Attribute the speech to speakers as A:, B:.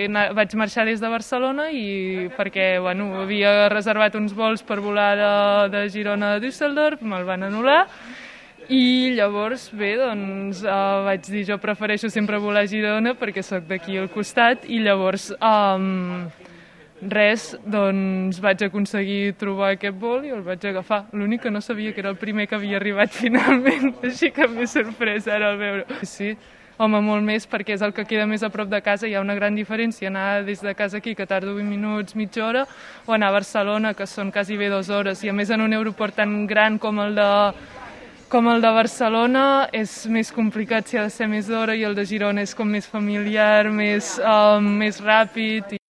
A: Vaig marxar des de Barcelona i perquè havia reservat uns vols per volar de Girona a Düsseldorf, me'l van anul·lar. I llavors, vaig dir, jo prefereixo sempre volar a Girona perquè sóc d'aquí al costat i llavors vaig aconseguir trobar aquest vol i el vaig agafar. L'únic que no sabia que era el primer que havia arribat finalment, així que m'he sorprès ara al veure. Sí, home, molt més, perquè és el que queda més a prop de casa. Hi ha una gran diferència anar des de casa aquí, que tardo 20 minuts, mitja hora, o anar a Barcelona, que són quasi bé 2 hores. I a més en un aeroport tan gran com el de Barcelona és més complicat si ha de ser més d'hora, i el de Girona és com més familiar, més ràpid.